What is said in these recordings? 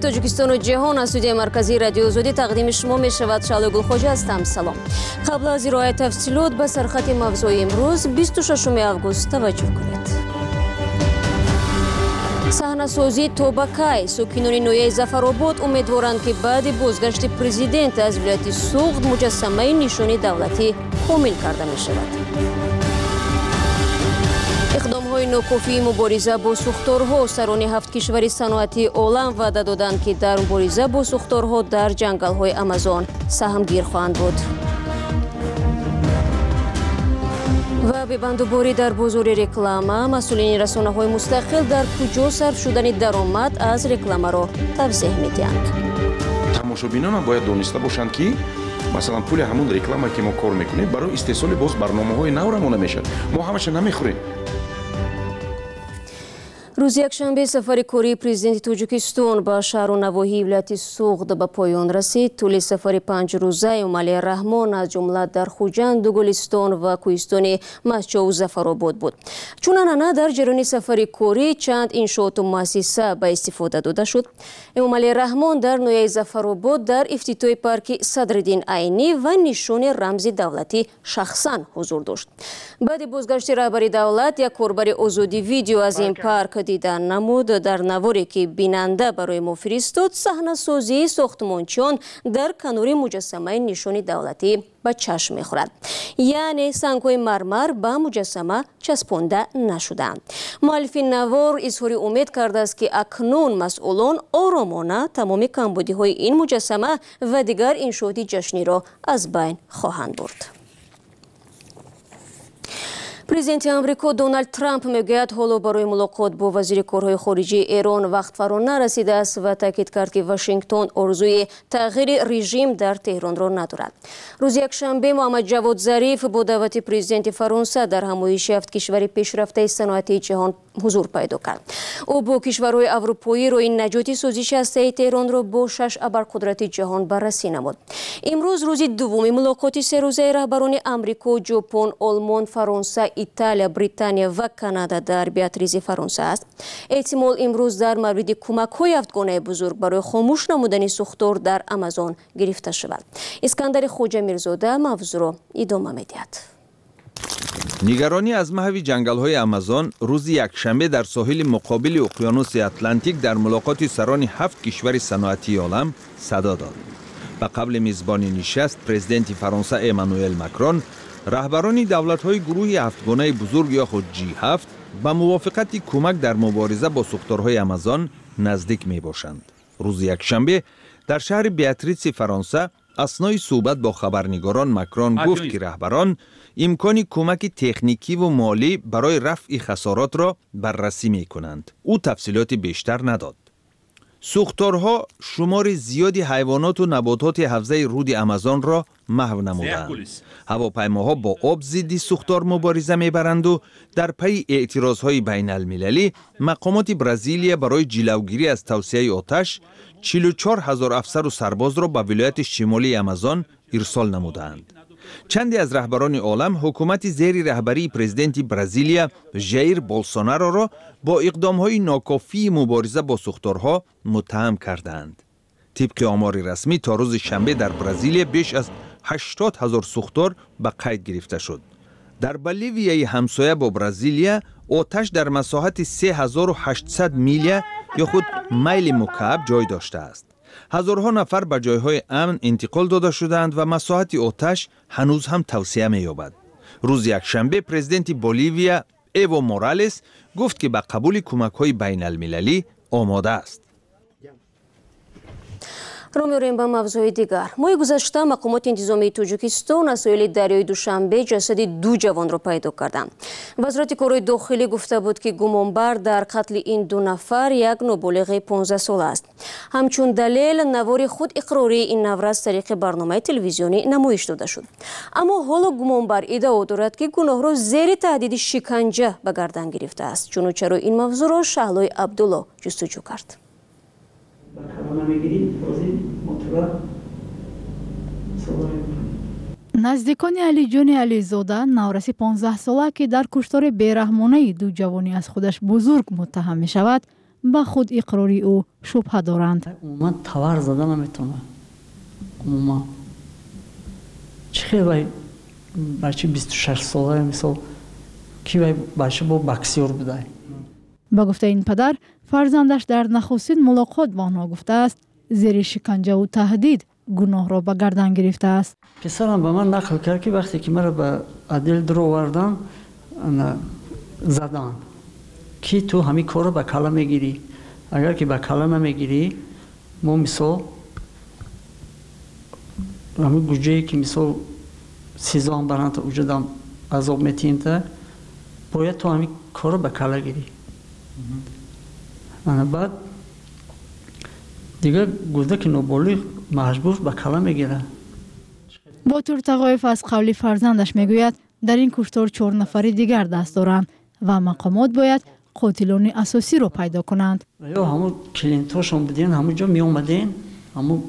Тоҷикистону ҷаҳон аз студияи марказии Радиои Озодӣ тақдими шумо мешавад. Шаҳлои Гулхоҷа ҳастам. Салом. Қабл аз ироаи тафсилот ба сархати мавзӯи имрӯз 26 август таваҷҷӯҳ кунед. Саҳнасозӣ то ба кай? Сокинони ноҳияи Зафаробод умедворанд, ки баъди бозгашти президент аз вилояти Суғд муҷассамаи нишони давлатӣ комил карда мешавад. Иқдомҳои нокофии мубориза бо сӯхторҳо. Сарони ҳафт кишвари саноатии олам ваъда доданд, ки дар мубориза бо сӯхторҳо дар ҷангалҳои Амазон саҳмгир хоҳанд буд. Ва бебандуборӣ дар бозори реклама. Масъулини расонаҳои мустақил дар куҷо сарф шудани даромад аз рекламаро тавзеҳ медиҳанд. Тамошобинонам бояд дониста бошанд, ки масалан пули ҳамун реклама, ки мо кор мекунем, барои истеҳсоли боз барномаҳои нав равона мешавад. Мо ҳамаша намехӯрем. Рӯзи якшанбе сафари кории президенти Тоҷикистон ба шаҳру навоҳии вилояти Суғд ба поён расид. Тӯли сафари панҷрӯза Эмомалӣ Раҳмон аз ҷумла дар Хуҷанду Гулистон ва кӯҳистони Мастчоу Зафаробод буд. Чун анъана дар ҷараёни сафари корӣ чанд иншооту муассиса ба истифода дода шуд. Эмомалӣ Раҳмон дар ноҳияи Зафаробод дар ифтитоҳи парки Садриддин Айнӣ ва нишони рамзи давлатӣ шахсан ҳузур дошт. Баъди бозгашти раҳбари давлат як корбари Озодӣ видео аз ин парк дида намуд. Дар наворе, ки бинанда барои мо фиристод, саҳнасозии сохтмончиён дар канори муҷассамаи нишони давлатӣ ба чашм мехӯрад, яъне сангҳои мармар ба муҷассама часпонда нашудаанд. Муаллифи навор изҳори умед кардааст, ки акнун масъулон оромона тамоми камбудиҳои ин муҷассама ва дигар иншооти ҷашниро аз байн хоҳанд бурд. Президенти Амрико Доналд Трамп мегӯяд, ҳоло барои мулоқот бо вазири корҳои хориҷии Эрон вақт фаро нарасидааст ва таъкид кард, ки Вашингтон орзуи тағйири режим дар Теҳронро надорад. Рӯзи якшанбе Муҳаммад Ҷавод Зариф бо даъвати президенти Фаронса дар ҳамоиши ҳафт кишвари пешрафтаи саноатии ҷаҳон ҳузур пайдо кард. Ӯ бо кишварҳои аврупоӣ роҳи наҷоти созиши ҳастаи Теҳронро бо шаш абарқудрати ҷаҳон баррасӣ намуд. Имрӯз рӯзи дуввуми мулоқоти серӯзаи раҳбарони Амрико, Ҷопон, Олмон, Фаронса, Италия, Британия ва Канада дар Биатризи Фаронса аст. Эҳтимол имрӯз дар мавриди кӯмакҳои ҳафтгонаи бузург барои хомӯш намудани сӯхтор дар Амазон гирифта шавад. Искандари Хоҷамирзода мавзӯъро идома медиҳад. Нигаронӣ аз маҳви ҷангалҳои Амазон рӯзи якшанбе дар соҳили муқобили уқёнуси Атлантик дар мулоқоти сарони ҳафт кишвари саноатии олам садо дод. Ба қавли мизбони нишаст, президенти Фаронса Эммануэл Макрон, раҳбарони давлатҳои гурӯҳи ҳафтгонаи бузург ё худ G7 ба мувофиқати кӯмак дар мубориза бо сӯхторҳои Амазон наздик мебошанд. Рӯзи якшанбе дар шаҳри Беатритси Фаронса аснои суҳбат бо хабарнигорон Макрон гуфт, ки раҳбарон имкони кӯмаки техникиву молӣ барои рафъи хасоротро баррасӣ мекунанд. Ӯ тафсилоти бештар надод. Сӯхторҳо шумори зиёди ҳайвоноту набототи ҳавзаи руди Амазонро маҳв намуданд. Ҳавопаймоҳо бо об зидди сӯхтор мубориза мебаранду дар пайи эътирозҳои байналмилалӣ мақомоти Бразилия барои ҷилавгирӣ аз тавсияи оташ 44 ҳазор афсару сарбозро ба вилояти шимолии Амазон ирсол намудаанд. Чанде аз раҳбарони олам ҳукумати зери раҳбарии президенти Бразилия Жаир Болсонароро бо иқдомҳои нокофии мубориза бо сӯхторҳо муттаҳам кардаанд. Тибқи омори расмӣ, то рӯзи шанбе дар Бразилия беш аз 80 ҳазор сӯхтор ба қайд гирифта шуд. Дар Боливияи ҳамсоя бо Бразилия оташ дар масоҳати 3800 миля ё худ майли мукааб ҷой доштааст. Ҳазорҳо нафар ба ҷойҳои амн интиқол дода шудаанд ва масоҳати оташ ҳанӯз ҳам тавсеа меёбад. Рӯзи якшанбе президенти Боливия Эво Моралес гуфт, ки ба қабули кӯмакҳои байналмилалӣ омода аст. Рӯ меорем ба мавзӯи дигар. Моҳи гузашта мақомоти интизомии Тоҷикистон аз соҳили дарёи Душанбе ҷасади ду ҷавонро пайдо карданд. Вазорати корҳои дохилӣ гуфта буд, ки гумонбар дар қатли ин ду нафар як ноболиғи 15сола аст. Ҳамчун далел навори худ иқрории ин наврас тариқи барномаи телевизионӣ намоиш дода шуд. Аммо ҳоло гумонбар иддао дорад, ки гуноҳро зери таҳдиди шиканҷа ба гардан гирифтааст. Чуну чаро ин мавзӯъро Шаҳлои Абдулло ҷустуҷӯ кард. Наздикони Алиҷони Ализода, навраси 15сола, ки дар куштори бераҳмонаи ду ҷавони аз худаш бузург муттаҳам мешавад, Ба худ иқрори ӯ шубҳа доранд. Умуман тавар зада наметавонад. Умуман чӣ хел вай бача 26 сола, мисол, ки вай бача бо боксёр будай. Ба гуфтаи ин падар, фарзандаш дар нахустин мулоқот ба онҳо гуфтааст, зери шиканҷаву таҳдид гуноҳро ба гардан гирифтааст. Писарам ба ман нақл кард, ки вақте ки маро ба отдел дуровардан, заданд, ки ту ҳамин корро ба калла мегирӣ, агар ки ба калла намегирӣ, мо, мисол, ҳамин гуҷае ки, мисол, СИЗОам баранд, уҷадам азоб метиҳем, та бояд ту ҳамин корро ба калла гирӣ. Ана баъд дигар кӯдаки ноболиғ маҷбур ба калла мегирад. Ботур Тағоев аз қавли фарзандаш мегӯяд, дар ин куштор чор нафари дигар даст доранд ва мақомот бояд қотилони асосиро пайдо кунанд. Ё ҳамун клиентҳошон буден, ҳамун ҷо меомаден, ҳамун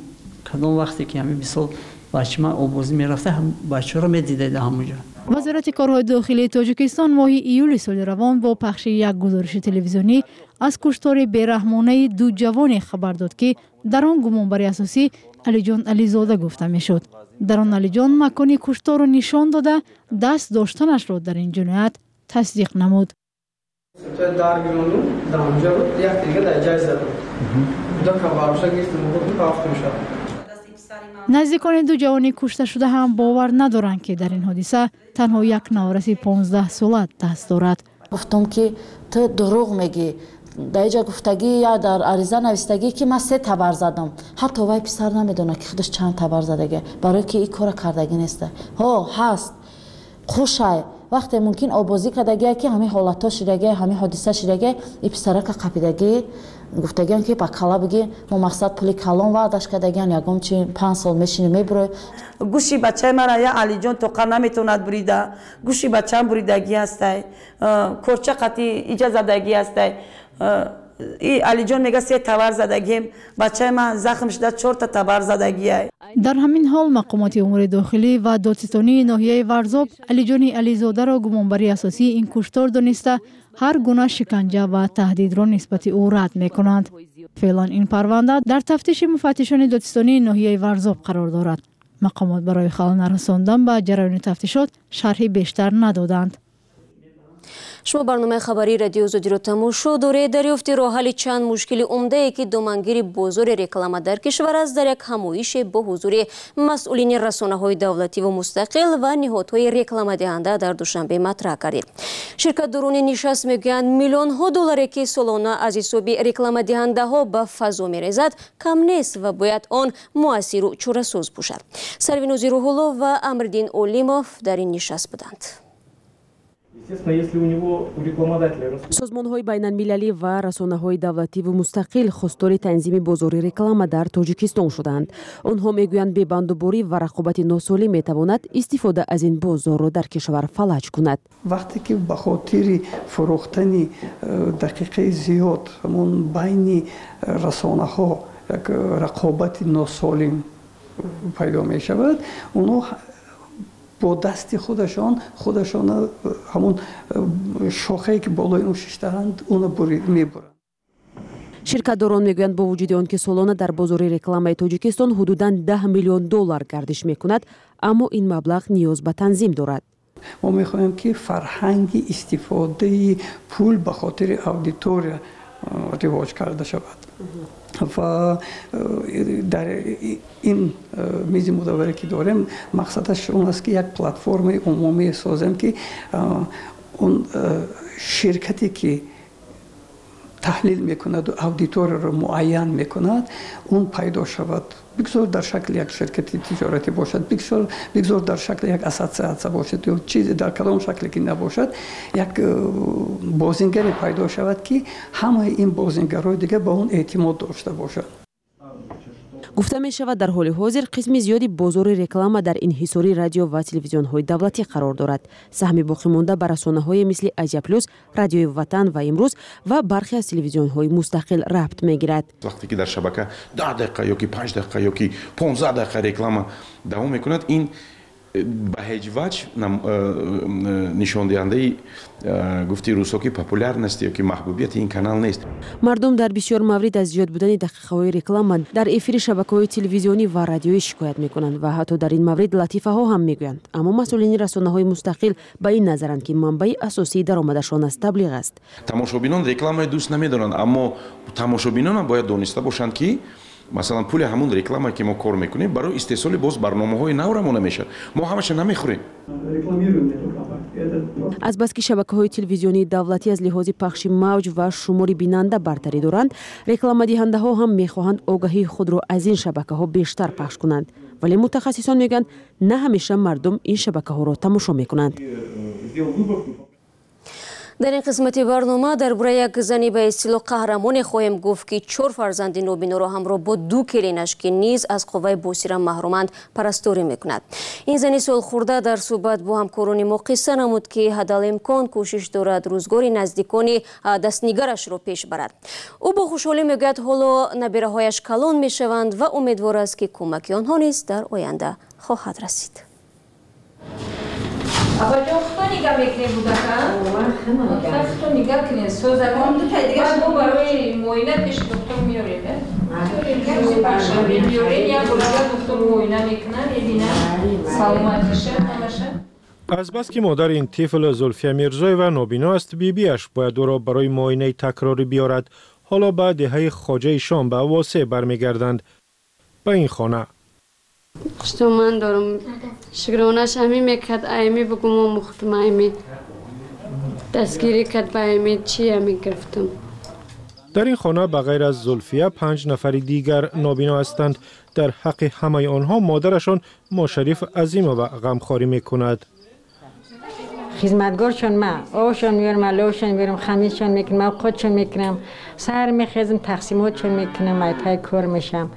кадом вақте ки ҳамин, мисол, бачи ман обозӣ мерафта, бачаҳоро медидед ҳамун ҷо. Вазорати корҳои дохилии Тоҷикистон моҳи июли соли равон бо пахши як гузориши телевизионӣ аз куштори бераҳмонаи ду ҷавоне хабар дод, ки дар он гумонбари асосӣ Алиҷон Ализода гуфта мешуд. Дар он Алиҷон макони кушторро нишон дода, даст доштанашро дар ин ҷиноят тасдиқ намуд. Дар гиронду даҳамҷа буд, як дига дар ҷай задам, кӯдака бароша гирифтам, рафтум шад. Наздикони ду ҷавони кушташуда ҳам бовар надоранд, ки дар ин ҳодиса танҳо як навраси 15-сола даст дорад. Гуфтум, ки ту дурӯғ мегӣ, дар иҷа гуфтагӣ я дар ариза навистагӣ, ки ман се табар задам. Ҳатто вай писар намедонад, ки худаш чанд табар задагӣ, барое ки ин кора кардагӣ неста. Ҳо, ҳаст хушай, вақте мумкин обозӣ кардагия, ки ҳамин ҳолатҳо шидагия, ҳамин ҳодиса шидагия, и писарака қапидагӣ, гуфтагиан, ки ба кала бигӣ, мо мақсад пули калон ваъдаш кардагиан, ягон чи 5 сол мешини, мебурой. Гӯши бачаи мара я Алиҷон тоқа наметавонад бурида, гӯши бачаам буридагӣ ҳастай, корча қати иҷа задагӣ ҳастай. И Алиҷон мега, се табар задагием, бачаи ман захм шуда, чорта табар задагиай. Дар ҳамин ҳол мақомоти умури дохилӣ ва додситонии ноҳияи Варзоб Алиҷони Ализодаро гумонбари асосии ин куштор дониста, ҳар гуна шиканҷа ва таҳдидро нисбати ӯ рад мекунанд. Феълан ин парванда дар тафтиши муфаттишони додситонии ноҳияи Варзоб қарор дорад. Мақомот барои халал нарасондан ба ҷараёни тафтишот шарҳи бештар надоданд. Шумо барномаи хабарии Радиои Озодиро тамошо доред. Дарёфти роҳҳалли чанд мушкили умдае, ки домангири бозори реклама дар кишвар аст, дар як ҳамоише бо ҳузури масъулини расонаҳои давлативу мустақил ва ниҳодҳои рекламадиҳанда дар Душанбе матраҳ кардид. Ширкатдорони нишаст мегӯянд, миллионҳо долларе, ки солона аз ҳисоби рекламадиҳандаҳо ба фазо мерезад, кам нест ва бояд он муассиру чорасоз бошад. Сарвинози Рӯҳулло ва Амриддин Олимов дар ин нишаст буданд. Созмонҳои байналмилалӣ ва расонаҳои давлативу мустақил хостори танзими бозори реклама дар Тоҷикистон шуданд. Онҳо мегӯянд, бебандуборӣ ва рақобати носолим метавонад истифода аз ин бозорро дар кишвар фалаҷ кунад. Вақте ки ба хотири фурӯхтани дақиқаи зиёд ҳамон байни расонаҳо як рақобати носолим пайдо мешавад, онҳо бо дасти худашон худашона ҳамон шохае, ки болои он шиштаанд, уно мебуранд. Ширкатдорон мегӯянд, бо вуҷуди он ки солона дар бозори рекламаи Тоҷикистон ҳудудан 10 миллион доллар гардиш мекунад, аммо ин маблағ ниёз ба танзим дорад. Мо мехоҳем, ки фарҳанги истифодаи пул ба хотири аудитория ривоҷ карда шавад ва дар ин мизи мудавваре, ки дорем, мақсадаш он аст, ки як платформаи умумие созем, ки он ширкате, ки таҳлил мекунаду аудиторияро муайян мекунад, он пайдо шавад. Бигзор дар шакли як ширкати тиҷоратӣ бошад, бигзор дар шакли як ассотсиатсия бошад ё чизе, дар кадом шакле ки набошад, як бозингаре пайдо шавад, ки ҳамаи ин бозингарҳои дигар ба он эътимод дошта бошанд. Гуфта мешавад, дар ҳоли ҳозир қисми зиёди бозори реклама дар инҳисори радио ва телевизионҳои давлатӣ қарор дорад. Саҳми боқимонда ба расонаҳое мисли Азия Плюс, Радиои Ватан ва Имрӯз ва бархе аз телевизионҳои мустақил рабт мегирад. Вақте ки дар шабака 10 дақиқа ё ки 5 дақиқа ё ки 15 дақиқа реклама давом мекунад, ин Ба ҳеҷ ваҷҳ нишондиҳандаи, гуфти русо, ки популярности ё ки маҳбубияти ин канал нест. Мардум дар бисёр маврид аз зиёд будани дақиқаҳои реклама дар эфири шабакаҳои телевизионӣ ва радиоӣ шикоят мекунанд ва ҳатто дар ин маврид латифаҳо ҳам мегӯянд. Аммо масъулини расонаҳои мустақил ба ин назаранд, ки манбаи асосии даромадашон аз таблиғ аст. Тамошобинон рекламаи дӯст намедоранд, аммо тамошобинонам бояд дониста бошанд, ки масалан пули ҳамун реклама, ки мо кор мекунем, барои истеҳсоли боз барномаҳои нав равона мешавад. Мо ҳамаша намехӯрем. Азбаски шабакаҳои телевизионии давлатӣ аз лиҳози пахши мавҷ ва шумори бинанда бартарӣ доранд, рекламадиҳандаҳо ҳам мехоҳанд огаҳии худро аз ин шабакаҳо бештар пахш кунанд. Вале мутахассисон мегӯянд, на ҳамеша мардум ин шабакаҳоро тамошо мекунанд. Дар ин қисмати барнома дар бораи як зани ба истилоҳ қаҳрамоне хоҳем гуфт, ки чор фарзанди нобиноро ҳамроҳ бо ду келинаш, ки низ аз қувваи босира маҳруманд, парасторӣ мекунад. Ин зани солхӯрда дар суҳбат бо ҳамкорони мо қисса намуд, ки ҳадалимкон кӯшиш дорад рӯзгори наздикони дастнигарашро пеш барад. Ӯ бо хушҳолӣ мегӯяд, ҳоло набираҳояш калон мешаванд ва умедвор аст, ки кӯмаки онҳо низ дар оянда хоҳад расид. Абаҷон, худто нигаҳ мекунед кӯдака? Худто нигаҳ кунед. Созагон мо барои муоина пеши доктор меорем. Панҷшанбе меорем, як бор доктор муоина мекунад, мебинад саломатиша, ҳамаша. Азбаски модари ин тифл Зулфия Мирзоева нобино аст, бибиаш бояд ӯро барои муоинаи такрорӣ биёрад. Ҳоло ба деҳаи Хоҷаи Шом, ба Восеъ бармегарданд, ба ин хона. Хуштоман дорам. Шукронаш ҳамин мекард, айми бугум омӯхтум, айми дастгирӣ кард, ба айми чи ҳамин гирифтум. Дар ин хона ба ғайр аз Зулфия панҷ нафари дигар нобино ҳастанд. Дар ҳаққи ҳамаи онҳо модарашон Мошариф Азимова ғамхорӣ мекунад. Хизматгоршон ма, овшон меорам, аловшон меорам, хамиршон мекунам, авқотшон мекунам, саҳар мехезам, тақсимотшон мекунам, айпай кор мешам.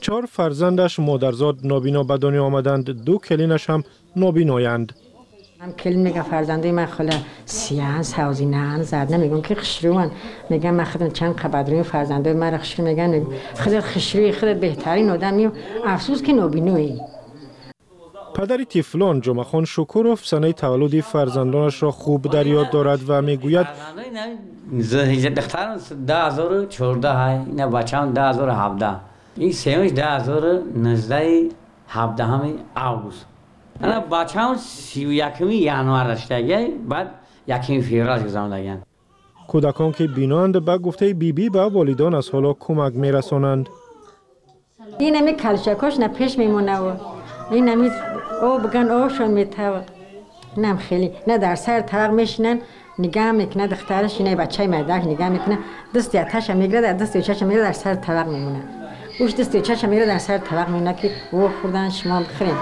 Чор фарзандаш модарзод нобино ба дунё омаданд, ду келинаш ҳам нобиноянд. Ҳам келин мегам, фарзандаи ман хола сияҳан, савзинаан, зад намегум, ки хушрӯан. Мегам, ман худам чанд қабадрӯи, фарзандаи маро хушрӯ меган. Худат хушрӯи, худат беҳтарин одами, афсӯс ки нобиноӣ. Падари тифлон Ҷумъахон Шукуров санаи таваллуди фарзандонашро хуб дар ёд дорад ва мегӯяд: Духтарам 2014, ина бачаам 2017, ин сеюмш 2019, 17 август. Ана бачаам 31-уми январ даштага, баъд 1-уми феврал гузарондагианд. Кӯдакон, ки биноанд, ба гуфтаи бибӣ, ба волидон аз ҳоло кӯмак мерасонанд. Ин ами калчакош на пеш мемонаву ин ами об ган овшон метава. Инам хеле на дар сар тарақ мешинанд, нигаҳ мекунад духтараш, ина бачаи мардак нигаҳ мекунад, дасти аташа мегирад, дасти очаша мегирад, дар сар тарақ мемонад. Уш дасти очаша мегирад, дар сар тарақ мемонад, ки о хӯрдан, шумо бихӯрем.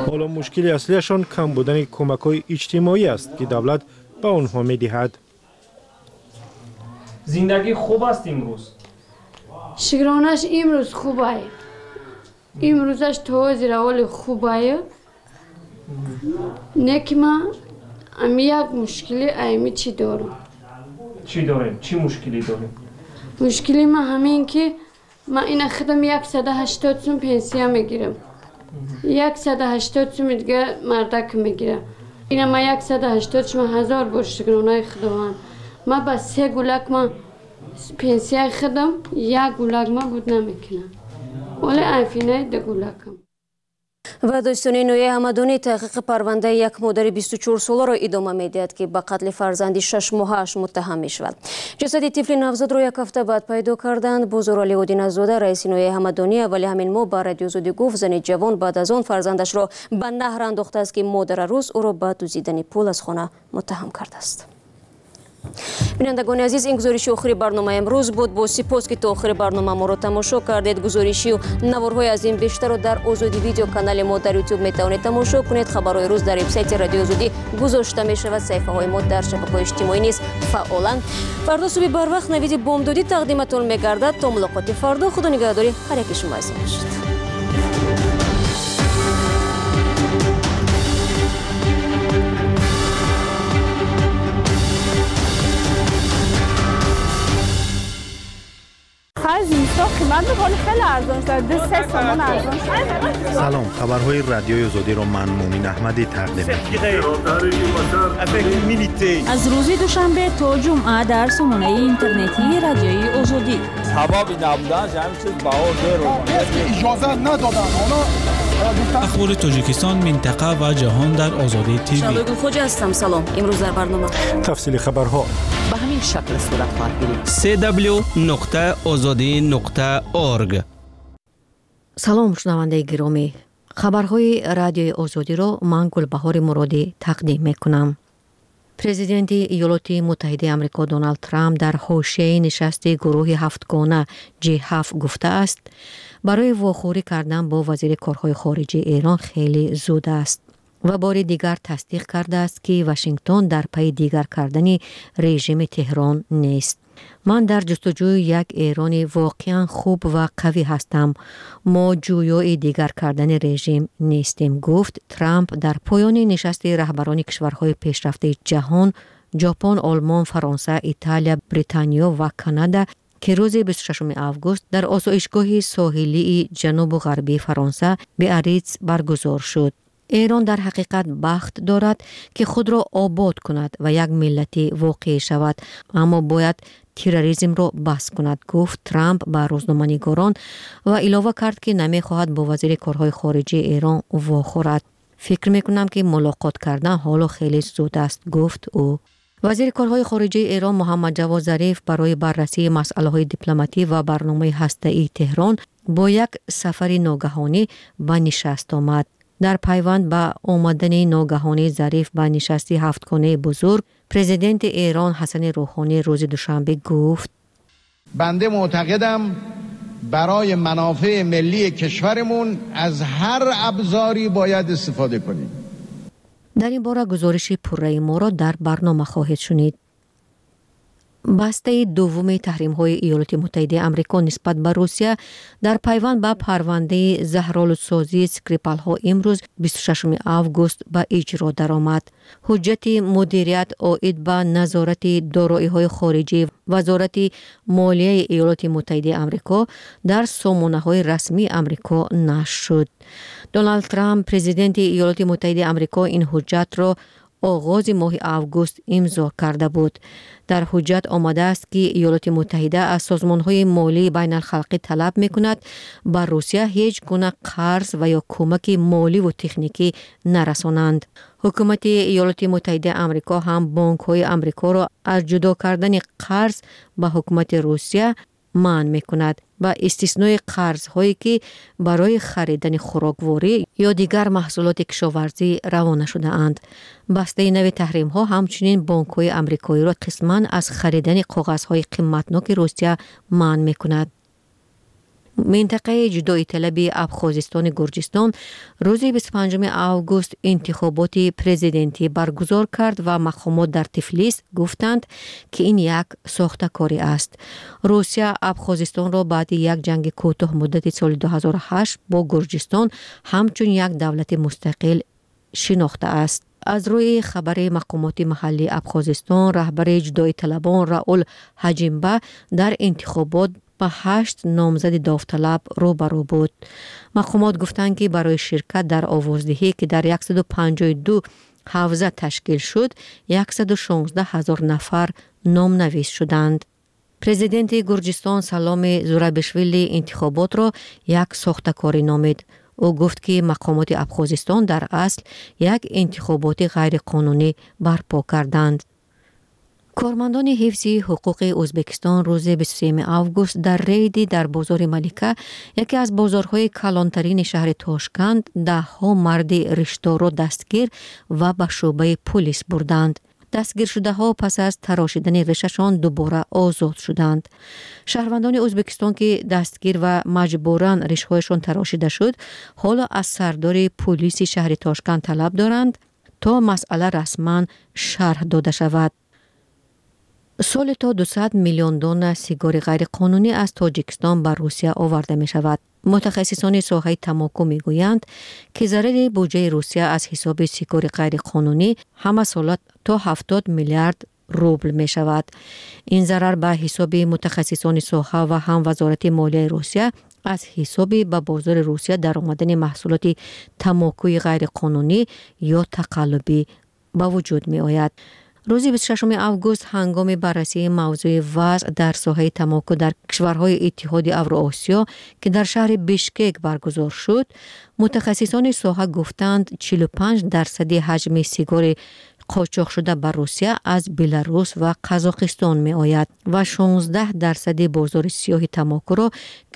Ҳоло мушкили аслиашон кам будани кӯмакҳои иҷтимоӣ аст, ки давлат ба онҳо медиҳад. Зиндагӣ хуб аст имрӯз? Шукронаш, имрӯз хубай. Имрӯзаш то ҳозира ҳоли хубай. Не ки ман ами як мушкили айми чӣ дорам. Чӣ дорем? Чӣ мушкилӣ дорем? Мушкили ман ҳамин, ки ман ина худам 180 сум пенсия мегирам. 180 суми дига мардак мегирам. Ина ман 180 сум, ҳазор бор шукронаи Худованд. Ман ба се гулак ман пенсияи худам як гулак ман буд намекунам. Оле айфинаи ду гулакам. Ва додситонии ноҳияи Ҳамадонӣ таҳқиқи парвандаи як модари 24-соларо идома медиҳад, ки ба қатли фарзанди шашмоҳааш муттаҳам мешавад. Ҷасади тифли навзодро як ҳафта баъд пайдо карданд. Бозоралӣ Одиназода, раиси ноҳияи Ҳамадонӣ, аввали ҳамин моҳ ба Радиои Озодӣ гуфт, зани ҷавон баъд аз он фарзандашро ба наҳр андохтааст, ки модара рӯз ӯро ба дуздидани пул аз хона муттаҳам кардааст. Бинандагони азиз, ин гузориши охири барномаи имрӯз буд. Бо сипос, ки то охири барнома моро тамошо кардед. Гузоришию наворҳои аз ин бештарро дар Озодӣ Видео, канали мо дар Ютуб, метавонед тамошо кунед. Хабарҳои рӯз дар вебсайти Радиои Озодӣ гузошта мешавад. Саҳифаҳои мо дар шабакаҳои иҷтимоӣ низ фаъоланд. Фардо субҳи барвақт навиди бомдодӣ тақдиматон мегардад. То мулоқоти фардо, худо нигаҳдори ҳар яки шумо азиз бошад. Охар зимистон қимат буд, ҳоли хеле арзон шуд. 2-3 сомон арзон шуд. Салом, хабарҳои радиои Озодиро ман Мумин Аҳмадӣ тақдим мекунам. Аз рӯзи душанбе то ҷумъа дар сомонаи интернетии радиои Озодӣ. Сабаби набуданаш ҳамин чиз баҳо дер. Иҷоза надоданд. Оно Ахбори Тоҷикистон, минтақа ва ҷаҳон дар Озодӣ ТВ. Шаҳлои Гулхоҷа ҳастам. Салом. Имрӯз дар барнома тафсили хабарҳо ба ҳамин шакл сурат хоҳад гирифт. cw.ozodi.org. Салом, шунавандаи гиромӣ. Хабарҳои радиои Озодиро ман Гулбаҳори Муродӣ тақдим мекунам. Президенти Иёлоти Муттаҳидаи Амрико Доналд Трамп дар ҳошияи нишасти гурӯҳи ҳафтгона G7 гуфтааст, барои вохӯрӣ кардан бо вазири корҳои хориҷии Эрон хеле зуд аст ва бори дигар тасдиқ кардааст, ки Вашингтон дар пайи дигар кардани режими Теҳрон нест. Ман дар ҷустуҷӯи як Эрони воқеан хуб ва қавӣ ҳастам. Мо ҷӯёи дигар кардани режим нестем, гуфт Трамп дар поёни нишасти раҳбарони кишварҳои пешрафтаи ҷаҳон Ҷопон, Олмон, Фаронса, Италия, Британиё ва Канада, ки рӯзи 26 август дар осоишгоҳи соҳилии ҷанубу ғарбии Фаронса Биариц баргузор шуд. Эрон дар ҳақиқат бахт дорад, ки худро обод кунад ва як миллати воқеӣ шавад, аммо бояд терроризмро бас кунад, гуфт Трамп ба рӯзноманигорон ва илова кард, ки намехоҳад бо вазири корҳои хориҷии Эрон вохӯрад. Фикр мекунам, ки мулоқот кардан ҳоло хеле зуд аст, гуфт ӯ. Вазири корҳои хориҷии Эрон Муҳаммад Ҷавод Зариф барои баррасии масъалаҳои дипломатӣ ва барномаи ҳастаии Теҳрон бо як сафари ногаҳонӣ ба нишаст омад. Дар пайванд ба омадани ногаҳонии Зариф ба нишасти ҳафтгонаи бузург, президенти Эрон Ҳасани Рӯҳонӣ рӯзи душанбе гуфт: банда муътақидам барои манофеи миллии кишварамон аз ҳар абзоре бояд истифода кунем. Дар ин бора гузориши пурраи моро дар барнома хоҳед шунид. Бастаи дуввуми таҳримҳои Иёлоти Муттаҳидаи Амрико нисбат ба Русия дар пайванд ба парвандаи заҳролудсозии Скрипалҳо имрӯз 26 август ба иҷро даромад. Ҳуҷҷати мудирият оид ба назорати дороиҳои хориҷии Вазорати молияи Иёлоти Муттаҳидаи Амрико дар сомонаҳои расмии Амрико нашр шуд. Доналд Трамп, президенти Иёлоти Муттаҳидаи Амрико, ин ҳуҷҷатро оғози моҳи август имзо карда буд. Дар ҳуҷҷат омадааст, ки Иёлоти Муттаҳида аз созмонҳои молии байналхалқӣ талаб мекунад ба Русия ҳеҷ гуна қарз ва ё кӯмаки моливу техникӣ нарасонанд. Ҳукумати Иёлоти Муттаҳидаи Амрико ҳам бонкҳои Амрикоро аз ҷудо кардани қарз ба ҳукумати Русия манъ мекунад, ба истиснои қарзҳое, ки барои харидани хӯрокворӣ ё дигар маҳсулоти кишоварзӣ равона шудаанд. Бастаи нави таҳримҳо ҳамчунин бонкҳои амрикоиро қисман аз харидани коғазҳои қиматноки Русия манъ мекунад. Минтақаи ҷудоиталаби Абхозистони Гурҷистон рӯзи 25 август интихоботи президентӣ баргузор кард ва мақомот дар Тифлис гуфтанд, ки ин як сохтакорӣ аст. Русия Абхозистонро баъди як ҷанги кӯтоҳмуддати соли 2008 бо Гурҷистон ҳамчун як давлати мустақил шинохтааст. Аз рӯи хабари мақомоти маҳаллии Абхозистон, раҳбари ҷудоиталабон Раул Ҳаҷимба дар интихобот ба 8 номзади довталаб рӯбарӯ буд. Мақомот гуфтанд, ки барои ширкат дар овоздиҳӣ, ки дар 152 ҳавза ташкил шуд, 116 ҳазор нафар номнавис шуданд. Президенти Гурҷистон Саломи Зурабишвили интихоботро як сохтакорӣ номид. Ӯ гуфт, ки мақомоти Абхозистон дар асл як интихоботи ғайриқонунӣ барпо карданд. Кормандони ҳифзи ҳуқуқи Ӯзбекистон рӯзи 23 август дар рейди дар бозори Малика, яке аз бозорҳои калонтарини шаҳри Тошканд, даҳҳо марди ришторо дастгир ва ба шӯъбаи пулис бурданд. Дастгиршудаҳо пас аз тарошидани ришашон дубора озод шуданд. Шаҳрвандони Ӯзбекистон, ки дастгир ва маҷбуран ришҳояшон тарошида шуд, ҳоло аз сардори пулиси шаҳри Тошканд талаб доранд, то масъала расман шарҳ дода шавад. Соли то 200 миллион дона сигори ғайриқонунӣ аз Тоҷикистон ба Русия оварда мешавад. Мутахассисони соҳаи тамоку мегӯянд, ки зарари буҷаи Русия аз ҳисоби сигори ғайриқонунӣ ҳамасола то 70 миллиард рубл мешавад. Ин зарар ба ҳисоби мутахассисони соҳа ва ҳам Вазорати молияи Русия аз ҳисоби ба бозори Русия даромадани маҳсулоти тамокуи ғайриқонунӣ ё тақаллубӣ ба вуҷуд меояд. Рӯзи 26 август ҳангоми баррасии мавзӯи вазъ дар соҳаи тамоку дар кишварҳои Иттиҳоди Авроосиё, ки дар шаҳри Бишкек баргузор шуд, мутахассисони соҳа гуфтанд, 45% ҳаҷми сигори қочоқшуда ба Русия аз Беларус ва Қазоқистон меояд ва 16% бозори сиёҳи тамокуро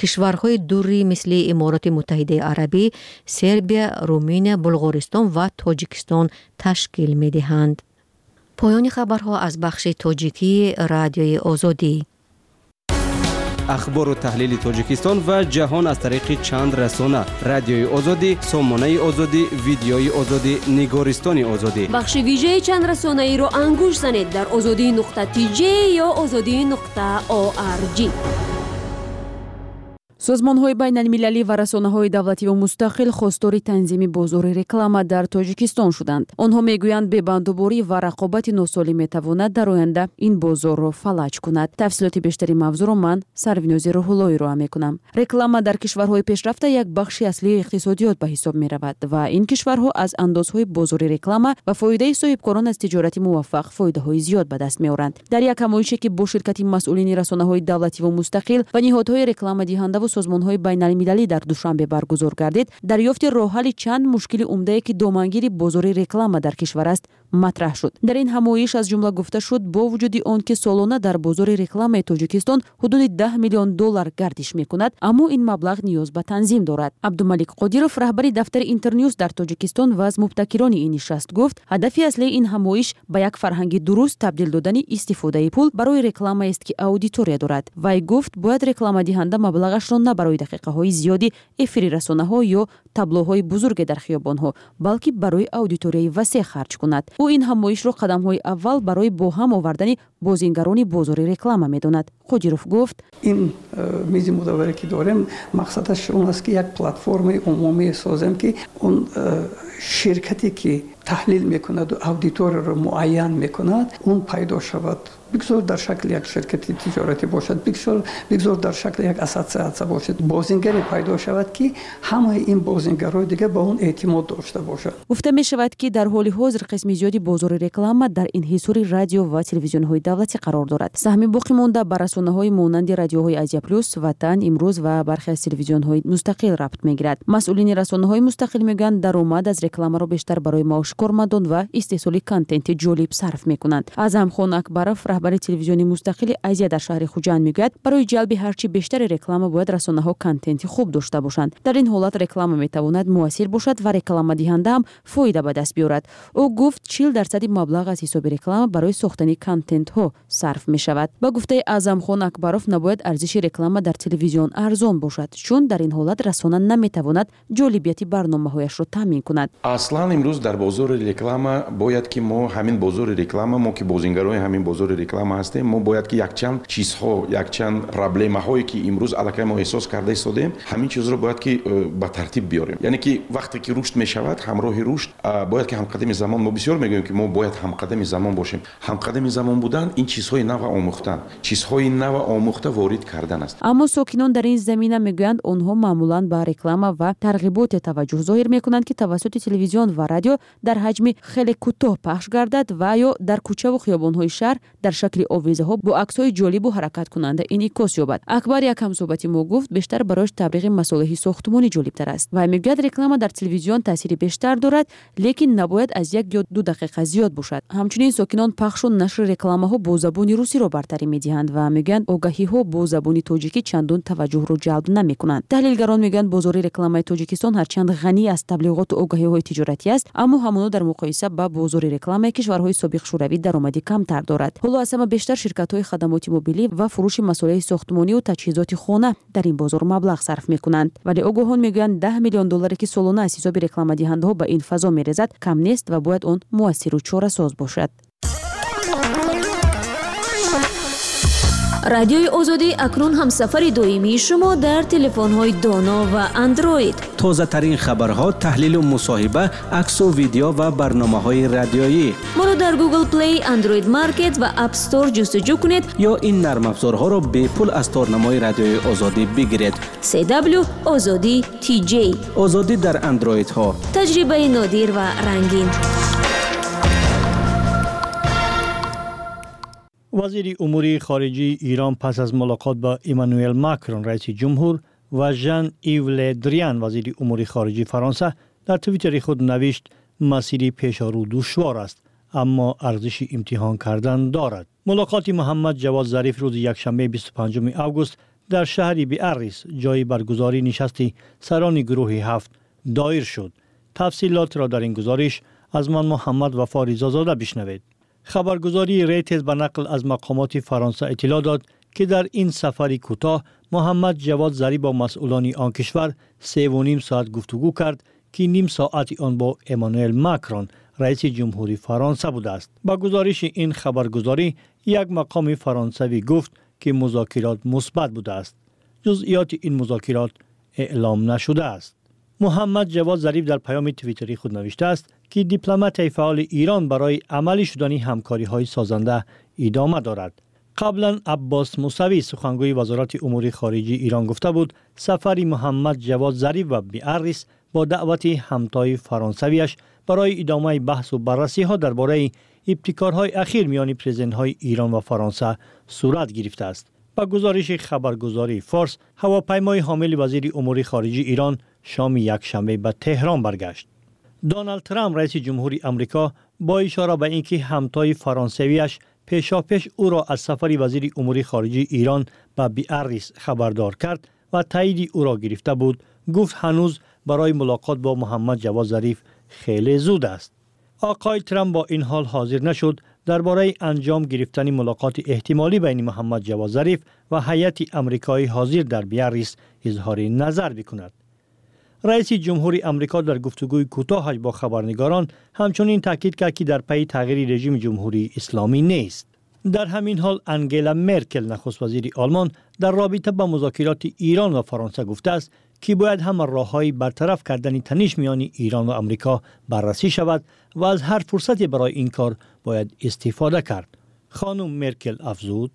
кишварҳои дурӣ мисли Имороти Муттаҳидаи Арабӣ, Сербия, Руминия, Булғористон ва Тоҷикистон ташкил медиҳанд. Поёни хабарҳо аз бахши тоҷикии Радиои Озодӣ. Ахбору таҳлили Тоҷикистон ва ҷаҳон аз тариқи чанд расона: Радиои Озодӣ, Сомонаи Озодӣ, Видеои Озодӣ, Нигористони Озодӣ. Бахши вижаи чанд расонаиро ангуш занед дар озодӣ.тж ё озодӣ.орг. Созмонҳои байналмилалӣ ва расонаҳои давлативу мустақил хостори танзими бозори реклама дар Тоҷикистон шуданд. Онҳо мегӯянд, бебандуборӣ ва рақобати носолим метавонад дар оянда ин бозорро фалаҷ кунад. Тафсилоти бештари мавзӯъро ман, Сарвинози Рӯҳуллоӣ, роҳа мекунам. Реклама дар кишварҳои пешрафта як бахши аслии иқтисодиёт ба ҳисоб меравад ва ин кишварҳо аз андозҳои бозори реклама ва фоидаи соҳибкорон аз тиҷорати муваффақ фоидаҳои зиёд ба даст меоранд. Дар як ҳамоише, ки бо ширкати масъулини расонаҳои давлативу мустақил ва ниҳодҳои рекламадиҳандаву созмонҳои байналмилалӣ дар Душанбе баргузор гардид, дарёфти роҳҳалли чанд мушкили умдае, ки домангири бозори реклама дар кишвар аст, матраҳ шуд. Дар ин ҳамоиш аз ҷумла гуфта шуд, бо вуҷуди он ки солона дар бозори рекламаи Тоҷикистон ҳудуди 10 миллион доллар гардиш мекунад, аммо ин маблағ ниёз ба танзим дорад. Абдумалик Қодиров, раҳбари дафтари Интернюс дар Тоҷикистон ва аз мубтакирони ин нишаст, гуфт, ҳадафи аслии ин ҳамоиш ба як фарҳанги дуруст табдил додани истифодаи пул барои рекламаест, ки аудитория дорад. Вай гуфт, бояд рекламадиҳанда маблағашро на барои дақиқаҳои зиёди эфири расонаҳо ё таблоҳои бузурге дар хиёбонҳо, балки барои аудиторияи васеъ харҷ кунад. Ӯ ин ҳамоишро қадамҳои аввал барои бо ҳам овардани бозингарони бозори реклама медонад. Қодиров гуфт: Ин мизи мудавваре, ки дорем, мақсадаш он аст, ки як платформаи умумие созем, ки он ширкате, ки таҳлил мекунаду аудиторияро муайян мекунад, он пайдо шавад. Бигзор дар шакли як ширкати тиҷоратӣ бошад, бигзор дар шакли як ассотсиатсия бошад, бозингаре пайдо шавад, ки ҳамаи ин бозингарҳои дигар ба он эътимод дошта бошанд. Гуфта мешавад, ки дар ҳоли ҳозир қисми зиёди бозори реклама дар инҳисори радио ва телевизионҳои давлатӣ қарор дорад. Саҳми боқимонда ба расонаҳои монанди радиоҳои Азия Плюс, Ватан, Имрӯз ва бархе аз телевизионҳои мустақил рабт мегирад. Масъулини расонаҳои мустақил мегӯянд, даромад аз рекламаро бештар барои маоши кормандон ва истеҳсоли контенти ҷолиб сарф мекунанд. Аъзамхон Акбаров, раҳбари телевизиони мустақили Азия дар шаҳри Хуҷанд, мегӯяд, барои ҷалби ҳарчи бештари реклама бояд расонаҳо контенти хуб дошта бошанд. Дар ин ҳолат реклама метавонад муассир бошад ва рекламадиҳанда ҳам фоида ба даст биёрад. Ӯ гуфт, 40% маблағ аз ҳисоби реклама барои сохтани контентҳо сарф мешавад. Ба гуфтаи Аъзамхон Акбаров, набояд арзиши реклама дар телевизион арзон бошад, чун дар ин ҳолат расона наметавонад ҷолибияти барномаҳояшро таъмин кунад. Аслан имрӯз дар бозори реклама бояд ки мо ҳамин бозори реклама, мо ки бозингарои ҳамин бозори реклама ҳастем, мо бояд ки якчанд чизҳо, якчанд проблемаҳое, ки имрӯз аллакай мо эҳсос карда истодем, ҳамин чизро бояд ки ба тартиб биёрем. Яъне ки вақте ки рушд мешавад, ҳамроҳи рушд бояд ки ҳамқадами замон, мо бисёр мегӯем, ки мо бояд ҳамқадами замон бошем. Ҳамқадами замон будан ин чизҳои нава омӯхтан, чизҳои нава омӯхта ворид кардан аст. Аммо сокинон дар ин замина мегӯянд, онҳо маъмулан ба реклама ва тарғиботе таваҷҷӯҳ зоҳир мекунанд, ки тавассути телевизион ва радио дар ҳаҷми хеле кӯтоҳ пахш гардад ва ё дар кӯчаву хиёбонҳои шаҳр дар шакли овезаҳо бо аксҳои ҷолибу ҳаракаткунанда инъикос ёбад. Акбар, як ҳамсӯҳбати мо, гуфт, бештар барояш таблиғи масолеҳи сохтмонӣ ҷолибтар аст. Вай мегӯяд, реклама дар телевизион таъсири бештар дорад, лекин набояд аз 1 ё 2 дақиқа зиёд бошад. Ҳамчунин сокинон пахшу нашри рекламаҳо бо забони русиро бартарӣ медиҳанд ва мегӯянд, огаҳиҳо бо забони тоҷикӣ чандон таваҷҷӯҳро ҷалб намекунанд. Таҳлилгарон мегӯянд, бозори рекламаи Тоҷикистон ҳарчанд ғанӣ аз таблиғоту огаҳиҳои тиҷоратӣ аст, аммо ҳамоно дар муқоиса ба бозори рекламаи кишварҳои собиқ Шӯравӣ даромади камтар дорад. Ҳоло аз ҳама бештар ширкатҳои хадамоти мобилӣ ва фурӯши масолеҳи сохтмониву таҷҳизоти хона дар ин бозор маблағ сарф мекунанд. Вале огоҳон мегӯянд, 10 миллион долларе, ки солона аз ҳисоби рекламадиҳандаҳо ба ин фазо мерезад, кам нест ва бояд он муассиру чорасоз бошад. Радиои Озодӣ акнун ҳамсафари доимии шумо дар телефонҳои доно ва Андроид. Тозатарин хабарҳо, таҳлилу мусоҳиба, аксу видео ва барномаҳои радиоӣ. Моро дар Google Play, Android Market ва App Store ҷустуҷӯ кунед ё ин нармафзорҳоро бепул аз торнамои Радиои Озодӣ бигиред. CW Озодӣ TJ. Озодӣ дар андроидҳо. Таҷрибаи нодир ва рангин. Вазири умури хориҷии Эрон пас аз мулоқот бо Эммануэл Макрон, раиси ҷумҳур, ва Жан Ив Ле Дриан, вазири умури хориҷии Фаронса, дар твиттери худ навишт: масири пешорӯ душвор аст, аммо арзиши имтиҳон кардан дорад. Мулоқоти Муҳаммад Ҷавод Зариф рӯзи якшанбе 25 август дар шаҳри Биаррис, ҷои баргузории нишасти сарони гурӯҳи ҳафт, доир шуд. Тафсилотро дар ин гузориш аз ман Муҳаммад Вафо Ризозода бишнавед. Хабаргузории Рейтерз ба нақл аз мақомоти Фаронса иттилоъ дод, ки дар ин сафари кӯтоҳ Муҳаммад Ҷавод Зариф бо масъулони он кишвар 3,5 соат гуфтугӯ кард, ки ним соати он бо Эммануэл Макрон, раиси ҷумҳури Фаронса будааст. Ба гузориши ин хабаргузорӣ, як мақоми фаронсавӣ гуфт, ки музокирот мусбат будааст. Ҷузъиёти ин музокирот эълом нашудааст. Муҳаммад Ҷавод Зариф дар паёми твиттери худ навиштааст, ки дипломатияи фаъоли Эрон барои амалӣ шудани ҳамкориҳои созанда идома дорад. Қаблан Аббос Мусавӣ, сухангӯи Вазорати умури хориҷии Эрон, гуфта буд, сафари Муҳаммад Ҷавод Зариф ба Биаррис бо даъвати ҳамтои фаронсавиаш барои идомаи баҳсу баррасиҳо дар бораи ибтикорҳои ахир миёни президентҳои Эрон ва Фаронса сурат гирифтааст. Ба гузориши хабаргузории Форс, ҳавопаймои ҳомили вазири умури хориҷии Эрон шоми якшанбе ба Теҳрон баргашт. Доналд Трамп, раиси ҷумҳури Амрико, бо ишора ба ин ки ҳамтои фаронсавиаш пешопеш ӯро аз сафари вазири умури хориҷии Эрон ба Биаррис хабардор кард ва таъйиди ӯро гирифта буд, гуфт ҳанӯз барои мулоқот бо Муҳаммад Ҷавод Зариф хеле зуд аст. Оқои Трамп бо ин ҳол ҳозир нашуд дар бораи анҷом гирифтани мулоқоти эҳтимолӣ байни Муҳаммад Ҷавод Зариф ва ҳайати амрикоӣ ҳозир дар Биаррис изҳори назар бикунад. Раиси ҷумҳури Амрико дар гуфтугӯи кӯтоҳаш бо хабарнигорон ҳамчунин таъкид кард, ки дар пайи тағйири режими Ҷумҳурии Исломӣ нест. Дар ҳамин ҳол Ангела Меркел, нахуствазири Олмон, дар робита ба музокироти Эрон ва Фаронса гуфтааст, ки бояд ҳама роҳҳои бартараф кардани таниш миёни Эрон ва Амрико баррасӣ шавад ва аз ҳар фурсате барои ин кор бояд истифода кард. Хонум Меркел афзуд: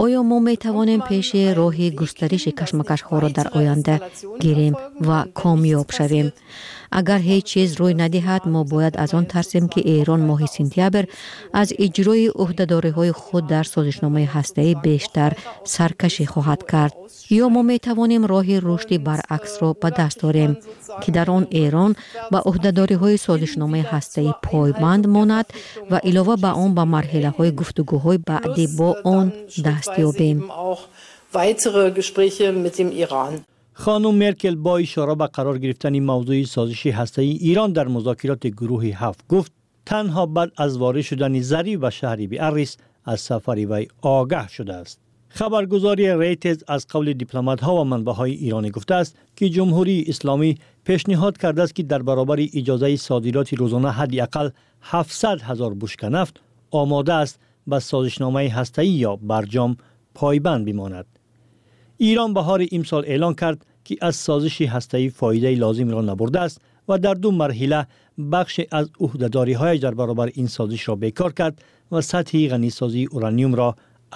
Оё мо метавонем пеши роҳи густариши кашмакашҳоро дар оянда гирем ва комёб шавем? Агар ҳеҷ чиз рӯй надиҳад, мо бояд аз он тарсем, ки Эрон моҳи сентябр аз иҷрои ӯҳдадориҳои худ дар созишномаи ҳастаӣ бештар саркашӣ хоҳад кард. Ё мо метавонем роҳи рушди баръаксро ба даст орем, ки дар он Эрон ба ӯҳдадориҳои созишномаи ҳастаӣ пойбанд монад ва илова ба он ба марҳилаҳои гуфтугӯҳои баъдӣ бо он даст ёбем. Хонум Меркел бо ишора ба қарор гирифтани мавзӯи созиши ҳастаии Эрон дар музокироти гурӯҳи ҳафт гуфт, танҳо баъд аз ворид шудани Зариф ба шаҳри Биаррис аз сафари вай огаҳ шудааст. Хабаргузории Рейтерз аз қавли дипломатҳо ва манбаъҳои эронӣ гуфтааст, ки Ҷумҳурии Исломӣ пешниҳод кардааст, ки дар баробари иҷозаи содироти рӯзона ҳадди ақал 700 ҳазор бушка нафт омода аст ба созишномаи ҳастаӣ ё Барҷом пойбанд бимонад. Эрон баҳори имсол эълон кард, ки аз созиши ҳастаӣ фоидаи лозимро набурдааст ва дар ду марҳила бахше аз ӯҳдадориҳояш дар баробари ин созишро бекор кард ва сатҳи ғанисозии ураниумро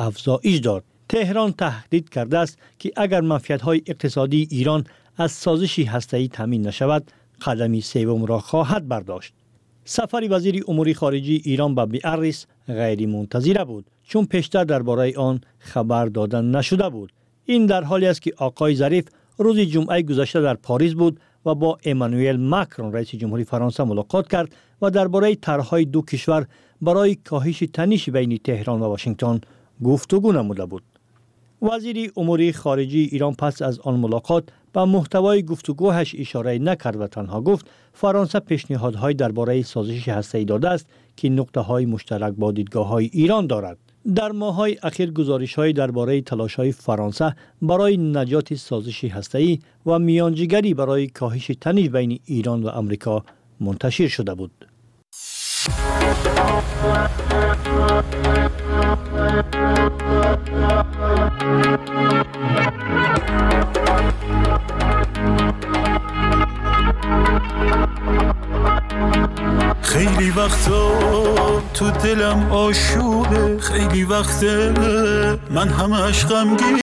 афзоиш дод. Теҳрон таҳдид кардааст, ки агар манфиатҳои иқтисодии Эрон аз созиши ҳастаӣ таъмин нашавад, қадами севумро хоҳад бардошт. Сафари вазири умури хориҷии Эрон ба Биаррис ғайримунтазира буд, чун пештар дар бораи он хабар дода нашуда буд. Ин дар ҳоле аст, ки оқои Зариф рӯзи ҷумъаи гузашта дар Париз буд ва бо Эммануэл Макрон, раиси ҷумҳури Фаронса, мулоқот кард ва дар бораи тарҳҳои ду кишвар барои коҳиши таниши байни Теҳрон ва Вашингтон гуфтугӯ намуда буд. Вазири умури хориҷии Эрон пас аз он мулоқот ба муҳтавои гуфтугӯҳаш ишора накард ва танҳо гуфт, Фаронса пешниҳодҳои дар бораи созиши ҳастаӣ додааст, ки нуқтаҳои муштарак бо дидгоҳҳои Эрон дорад. Дар моҳҳои ахир гузоришҳои дар бораи талошҳои Фаронса барои наҷоти созиши ҳастаӣ ва миёнҷигарӣ барои коҳиши таниш байни Эрон ва Амрико мунташир шуда буд. خیلی وقتا تو دلم آشوبه، خیلی وقته من همش غمگینم.